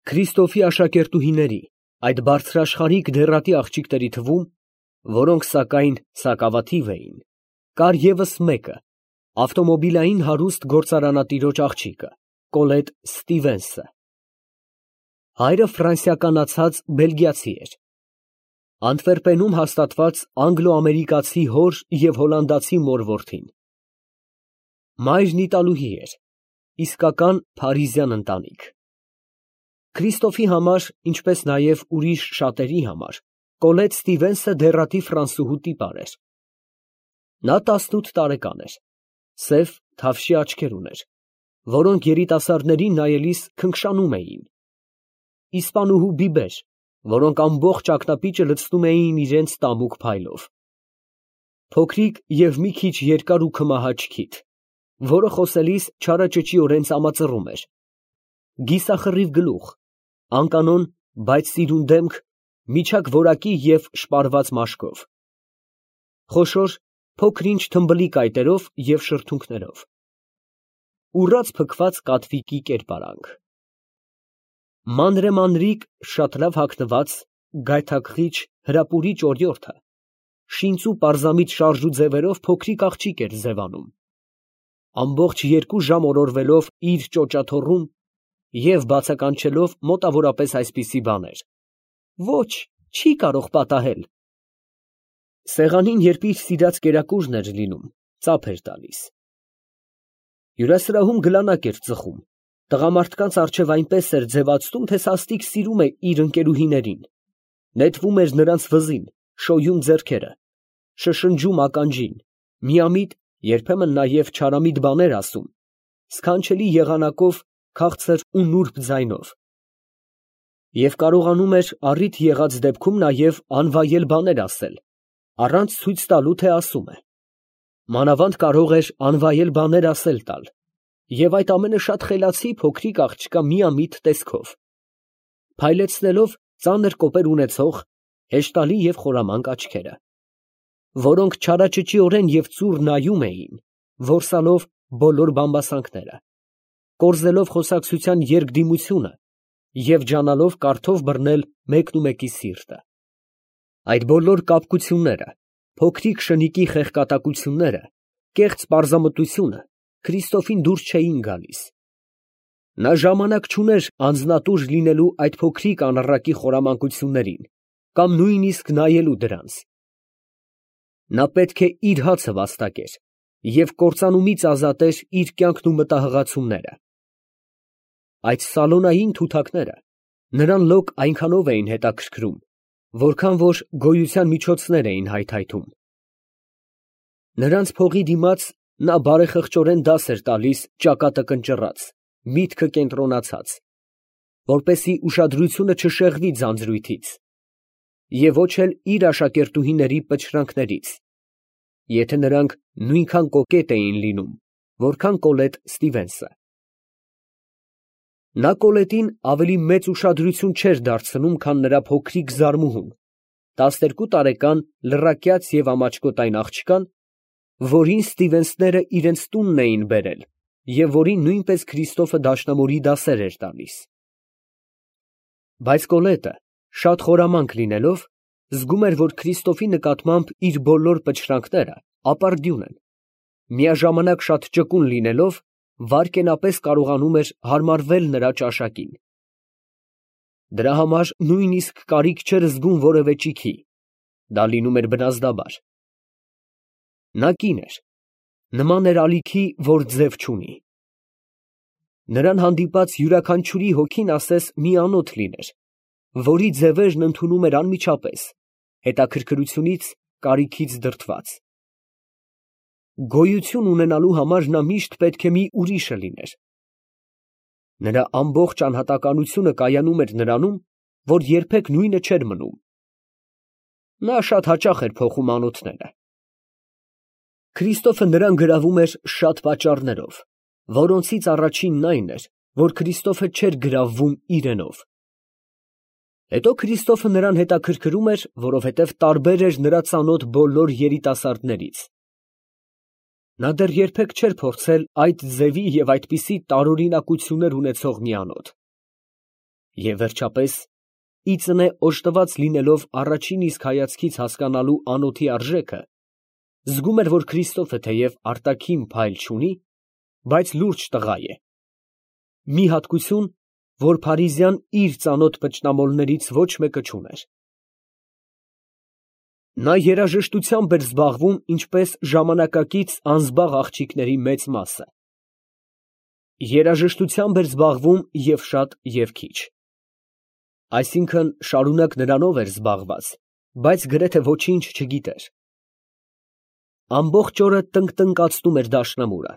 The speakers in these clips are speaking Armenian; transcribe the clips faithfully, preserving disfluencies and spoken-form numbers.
Քրիստոֆի աշակերտուհիների, այդ բարձրաշխարհիկ դեռատի աղջիկների թվում, որոնք սակայն սակավաթիվ էին, կար ևս մեկը, ավտոմոբիլային հարուստ գործարանատիրոջ աղջիկը, Կոլետ Ստիվենսը։ Հայրը ֆրանսիականացած բելգիացի էր։ Անտվերպենում հաստատված անգլո֊ամերիկացի հոր և հոլանդացի մոր որդին։ Մայրն իտալուհի էր, իսկական փարիզյան ընտանիք։ Քրիստոֆի համար, ինչպես նաև ուրիշ շատերի համար, Կոլետ Ստիվենսը դեռատի ֆրանսուհու տիպար էր։ Նա տասնութ տարեկան էր, սև թավշյա աչքեր ուներ, որոնք երիտասարդներին նայելիս քնքշանում էին, իսպանուհու բիբեր, որոնք ամբողջ ակնապիճը լցնում էին իրենց տամուկ փայլով, փոքրիկ և մի քիչ երկար ու քմահաճ քիթ, որը խոսելիս չարաճճիորեն ծամածռում էր, գիսախռիվ գլուխ, անկանոն, բայց սիրուն դեմք, միջակ որակի և շպարված մաշկով, խոշոր, փոքր-ինչ թմբլիկ այտերով և շրթունքներով, ուռած փքված կատվիկի կերպարանք, մանրեմանրիկ, շատ լավ հագնված, գայթակղիչ, հրապուրիչ օրիորդը, շինծու պարզամիտ շարժու ձևերով փոքրիկ աղջիկ էր ձևանում, ամբողջ երկու ժամ օրորվելով իր ճոճաթոռում և բացականչելով մոտավորապես այսպիսի բաներ. «Ոչ, չի կարող պատահել»։ Սեղանին երբ իր սիրած կերակուրն էր լինում, ծափ էր տալիս։ Հյուրասրահում գլանակ էր ծխում, տղամարդկանց առջև այնպես էր ձևացնում, թե սաստիկ սիրում է իր ընկերուհիներին, նետվում էր նրանց վզին, շոյում ձեռքերը, շշնջում ականջին, միամիտ, երբեմն նաև չարամիտ բաներ ասում, սքանչելի եղանակով, քաղցր ու նուրբ ձայնով, և կարողանում էր առիթ եղած դեպքում նաև անվայել բաներ ասել, առանց ցույց տալու, թե ասում է, մանավանդ կարող էր անվայել բաներ ասել տալ, և այդ ամենը շատ խելացի փոքրիկ աղջկա միամիտ տեսքով, փայլեցնելով ծանր կոպեր ունեցող, հեշտալի և խորամանկ աչքերը, որոնք չարաճճիորեն և ծուռ նայում էին, որսալով բոլոր բամբասանքները, կորզելով խոսակցության երկդիմությունը և ջանալով կարդով բռնել մեկնումեկի սիրտը։ Այդ բոլոր կապկությունները, փոքրիկ շնիկի խեղկատակությունները, կեղծ պարզամտությունը Քրիստոֆին դուր չէին գալիս։ Նա ժամանակ չուներ անձնատուր լինելու այդ փոքրիկ անառակի խորամանկություններին կամ նույնիսկ նայելու դրանց։ Նա պետք է իր հացը վաստակեր և կործանումից ազատեր իր կյանքն ու մտահղացումները։ Այդ սալոնային թութակները նրան լոկ այնքանով էին հետաքրքրում, որքան որ գոյության միջոցներ էին հայթայթում։ Նրանց փողի դիմաց նա բարեխղճորեն դաս էր տալիս ճակատը կնճռած, միտքը կենտրոնացած, որպեսզի ուշադրությունը չշեղվի ձանձրույթից և ոչ էլ իր աշակերտուհիների պչրանքներից, եթե նրանք նույնքան կոկետ էին լինում, որքան Կոլետ Ստիվենսը։ Նա Կոլետին ավելի մեծ ուշադրություն չէր դարձնում, քան նրա փոքրիկ զարմուհուն, տասներկու տարեկան լռակյաց և ամաչկոտայն աղջկան, որին Ստիվենսները իրենց տունն էին բերել և որին նույնպես Քրիստոֆը դաշնամուրի դասեր էր տալիս։ Բայց Կոլետը, շատ խորամանկ լինելով, զգում էր, որ Քրիստոֆի նկատմամբ իր բոլոր պչրանքները ապարդյուն են, միաժամանակ շատ ճկուն լինելով, վայրկենապես կարողանում էր հարմարվել նրա ճաշակին։ Դրա համար նույնիսկ կարիք չէր զգում որևէ ճիգի, դա լինում էր բնազդաբար։ Նա կին էր, նման էր ալիքի, որ ձև չունի։ Նրան հանդիպած յուրաքանչյուրի հոգին ասես մի անոթ լիներ, որի ձևերն ընդունում էր անմիջապես, հետաքրքրությունից, կարիքից դրդված։ Գոյություն ունենալու համար նա միշտ պետք է մի ուրիշը լիներ։ Նրա ամբողջ անհատականությունը կայանում էր նրանում, որ երբեք նույնը չէր մնում։ Նա շատ հաճախ էր փոխում անոթները։ Քրիստոֆը նրան գրավում էր շատ պատճառներով, որոնցից առաջինն այն էր, որ Քրիստոֆը չէր գրավվում իրենով։ Հետո Քրիստոֆը նրան հետաքրքրում էր, որովհետև տարբեր էր նրա ծանոթ բոլոր երիտասարդներից։ Նա դեռ երբեք չէր փորձել այդ ձևի և այդպիսի տարօրինակություններ ունեցող մի անոթ։ Եվ վերջապես, իծնե օժտված լինելով առաջին իսկ հայացքից հասկանալու անոթի արժեքը, զգում էր, որ Քրիստոֆը թեև արտաքին փայլ չունի, բայց լուրջ տղա է. մի հատկություն, որ Փարիզյան իր ծանոթ փչնամոլներից ոչ մեկը չուներ։ Նա երաժշտությամբ էր զբաղվում ինչպես ժամանակակից անզբաղ աղջիկների մեծ մասը։ Երաժշտությամբ էր զբաղվում և շատ, և քիչ։ Այսինքն շարունակ նրանով էր զբաղված, բայց գրեթե ոչինչ չգիտեր։ Ամբողջ օրը տնկտնկացնում էր դաշնամուրը,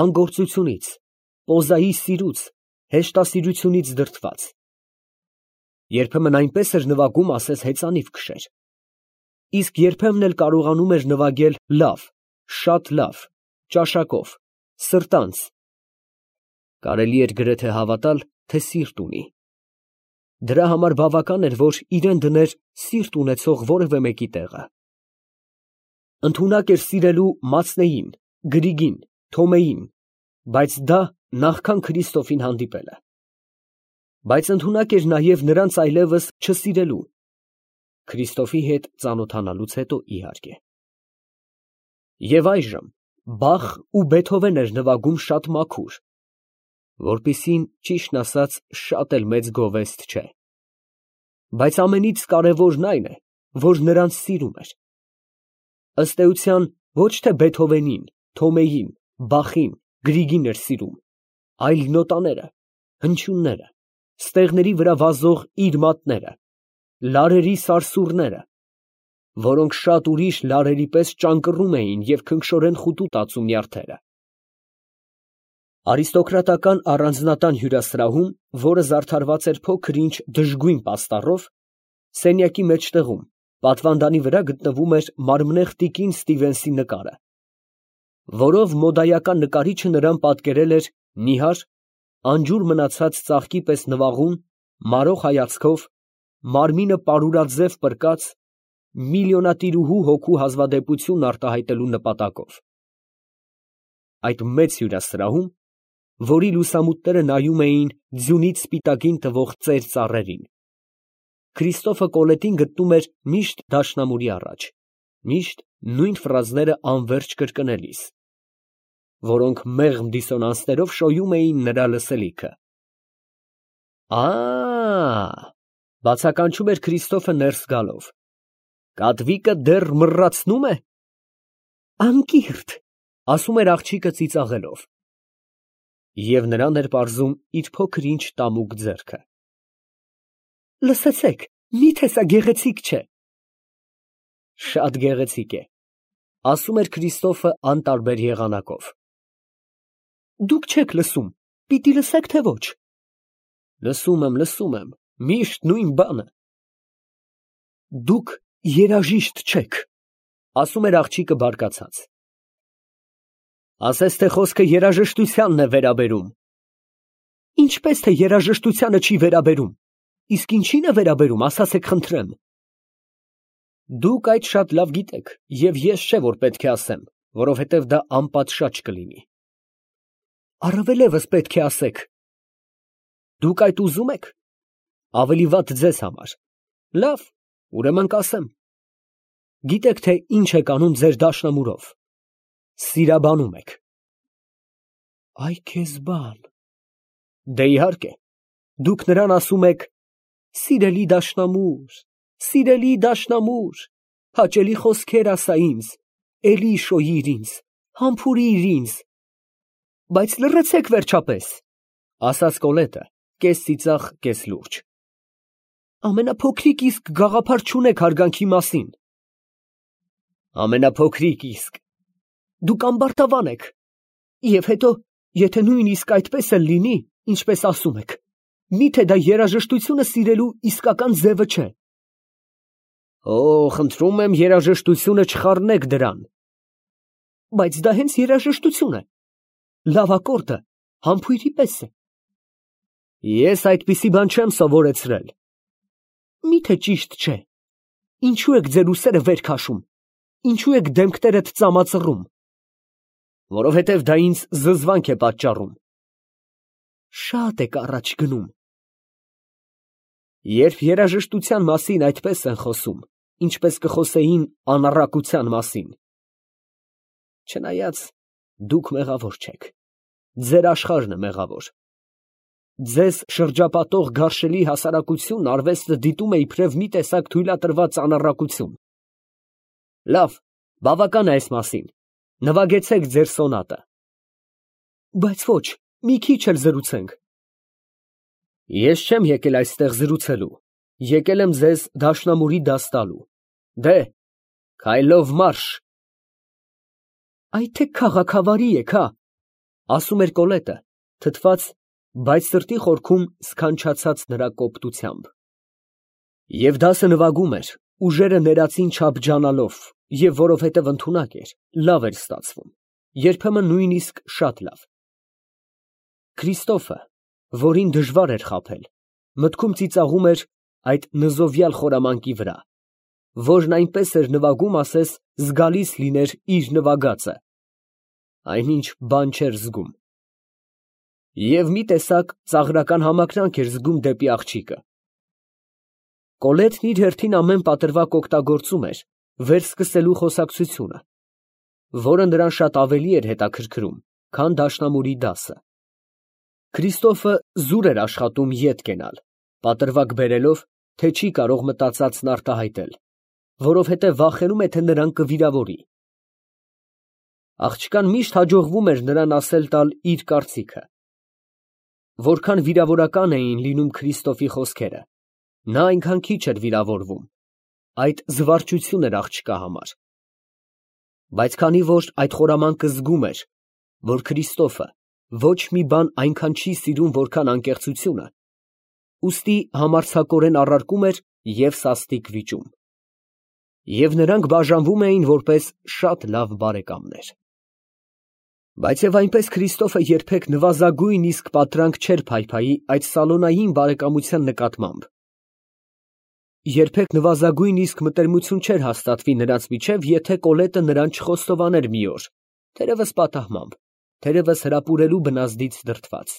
անգործությունից, պոզայի սիրուց, հեշտասիրությունից դրդված։ Երբեմն այնպես էր նվագում, ասես հեծանիվ քշեր։ Իսկ երբեմն էլ կարողանում էր նվագել լավ, շատ լավ, ճաշակով, սրտանց։ Կարելի էր գրեթե հավատալ, թե սիրտ ունի։ Դրա համար բավական էր, որ իրան դներ սիրտ ունեցող որևէ մեկի տեղը։ Ընդունակ էր սիրելու Մացնեին, Գրիգին, Թոմեին, բայց դա նախքան Քրիստոֆին հանդիպելը։ Բայց ընդունակ էր նաև նրանց այլևս չսիրելու, Քրիստոֆի հետ ծանոթանալուց հետո, իհարկե։ Եվ այժմ Բախ ու Բեթհովեն էր նվագում շատ մաքուր, որպիսին, ճիշտն ասած, շատ էլ մեծ գովեստ չէ։ Բայց ամենից կարևորն այն է, որ նրանց սիրում էր։ Ըստ էության, ոչ թե Բեթհովենին, Թոմեին, Բախին, Գրիգին էր սիրում, այլ նոտաները, հնչյունները, ստեղների վրա վազող իր մատները, լարերի սարսուռները, որոնք շատ ուրիշ լարերի պես ճանկռում էին և քնքշորեն խուտու տածում նյարդերը։ Արիստոկրատական առանձնատան հյուրասրահում, որը զարդարված էր փոքր-ինչ դժգույն պաստառով, սենյակի մեջտեղում, պատվանդանի վրա գտնվում էր մարմնեղ տիկին Ստիվենսի նկարը, որով մոդայական նկարիչը նրան պատկերել էր նիհար, անջուր մնացած ծաղկի պես նվաղում, մարող հայացքով, մարմինը պարուրաձև պրկած, միլիոնատիրուհու հոգու հազվադեպությունն արտահայտելու նպատակով։ Այդ մեծ հյուրասրահում, որի լուսամուտները նայում էին ձյունից սպիտակին տվող ծեր ծառերին, Քրիստոֆը Կոլետին գտնում էր միշտ դաշնամուրի առաջ, միշտ նույն ֆրազները անվերջ կրկնելիս, որոնք մեղմ դիսոնանսներով շոյում էին նրա լսելիքը։ Ա՜, բացականչում էր Քրիստոֆը ներս գալով, կատվիկը դեռ մռացնո՞ւմ է։ Անկիրթ, ասում էր աղջիկը ծիծաղելով։ Եվ նրան էր պարզում իր փոքր-ինչ տամուկ ձեռքը։ Լսեցեք, մի՞թե սա գեղեցիկ չէ։ Շատ գեղեցիկ է, ասում էր Քրիստոֆը անտարբեր եղանակով։ Դուք չեք լսում, պիտի լսեք, թե ոչ։ Լսում եմ, լսում եմ, միշտ նույն բանը։ Դուք երաժիշտ չեք, ասում էր աղջիկը բարկացած։ Ասես թե խոսքը երաժշտությանն է վերաբերում։ Ինչպես թե երաժշտությանը չի վերաբերում, իսկ ինչին է վերաբերում, ասացեք խնդրեմ։ Դուք այդ շատ լավ գիտեք, և ես չէ, որ պետք է ասեմ, որովհետև դա անպատշաճ կլինի։ Առավելևս պետք է ասեք։ Դուք այդ ուզում եք։ Ավելի վատ ձեզ համար։ Լավ, ուրեմն կասեմ։ Գիտեք, թե ինչ եք անում ձեր դաշնամուրով։ Սիրաբանում եք։ Այ քեզ բան։ Դե իհարկե, դուք նրան ասում եք. սիրելի դաշնամուր, սիրելի դաշնամուր, հաճելի խոսքեր ասա ինձ, էլի շոյիր ինձ, համբուրիր ինձ։ Բայց լռեցեք վերջապես, ասաց Կոլետը, կես ծիծաղ, կես լուրջ։ Ամենափոքրիկ իսկ գաղափար չունեք հարգանքի մասին։ Ամենափոքրիկ իսկ։ Դուք ամբարտավան եք։ Եվ հետո, եթե նույնիսկ այդպես էլ լինի, ինչպես ասում եք, միթե դա երաժշտությունը սիրելու իսկական ձևը չէ։ Օ, խնդրում եմ, երաժշտությունը չխառնեք դրան։ Բայց դա հենց երաժշտություն է։ Լավ ակորդը համբույրի պես է։ Ես այդպիսի բան չեմ սովորեցրել։ Միթե ճիշտ չէ։ Ինչու եք ձեր ուսերը վեր քաշում։ Ինչու եք դեմքներդ ծամածռում։ Որովհետև դա ինձ զզվանք է պատճառում։ Շատ եք առաջ գնում։ Երբ երաժշտության մասին այդպես են խոսում, ինչպես կխոսեին անառակության մասին։ Չնայած դուք մեղավոր չեք, ձեր աշխարհն է մեղավոր։ Ձեզ շրջապատող գարշելի հասարակությունն արվեստը դիտում է իբրև մի տեսակ թույլատրված անառակություն։ Լավ, բավական է այս մասին, նվագեցեք ձեր սոնատը։ Բայց ոչ, մի քիչ էլ զրուցենք։ Ես չեմ եկել այստեղ զրուցելու, եկել եմ ձեզ դաշնամուրի դաս տալու։ Դե, քայլով մարշ։ Այդ թե քաղաքավարի եք, հա, ասում էր Կոլետը, թթված, բայց սրտի խորքում սքանչացած նրա կոպտությամբ։ Եվ դասը նվագում էր, ուժերը ներածին չափջանալով, և որովհետև ընդունակ էր, լավ էր ստացվում, երբեմն նույնիսկ շատ լավ։ Քրիստոֆը, որին դժվար էր խաբել, մտքում ծիծաղում էր այդ նզովյալ խորամանկի վրա, որն այնպես էր նվագում, ասես զգալիս լիներ իր նվագածը, այնինչ բան չէր զգում։ Եվ մի տեսակ ծաղրական համակրանք էր զգում դեպի աղջիկը։ Կոլետն իր հերթին ամեն պատրվակ օգտագործում էր վերսկսելու խոսակցությունը, որը նրան շատ ավելի էր հետաքրքրում, քան դաշնամուրի դասը։ Քրիստոֆը զուր էր աշխատում ետ կենալ, պատրվակ բերելով, թե չի կարող մտածածն արտահայտել, որովհետև վախենում է, թե նրան կվիրավորի։ Աղջկան միշտ հաջողվում էր նրան ասել տալ իր կարծիքը։ Որքան վիրավորական էին լինում Քրիստոֆի խոսքերը, նա այնքան քիչ էր վիրավորվում, այդ զվարճություն էր աղջկա համար։ Բայց քանի որ այդ խորամանկը զգում էր, որ Քրիստոֆը ոչ մի բան այնքան չի սիրում, որքան անկեղծությունը, ուստի համարձակորեն առարկում էր և սաստիկ վիճում։ Եվ նրանք բաժանվում էին որպես շատ լավ բարեկամներ։ Բայց և այնպես Քրիստոֆը երբեք նվազագույն իսկ պատրանք չէր փայփայի այդ սալոնային բարեկամության նկատմամբ։ Երբեք նվազագույն իսկ մտերմություն չէր հաստատվի նրանց միջև, եթե Կոլետը նրան չխոստովաներ մի օր, թերևս պատահմամբ, թերևս հրապուրելու բնազդից դրդված։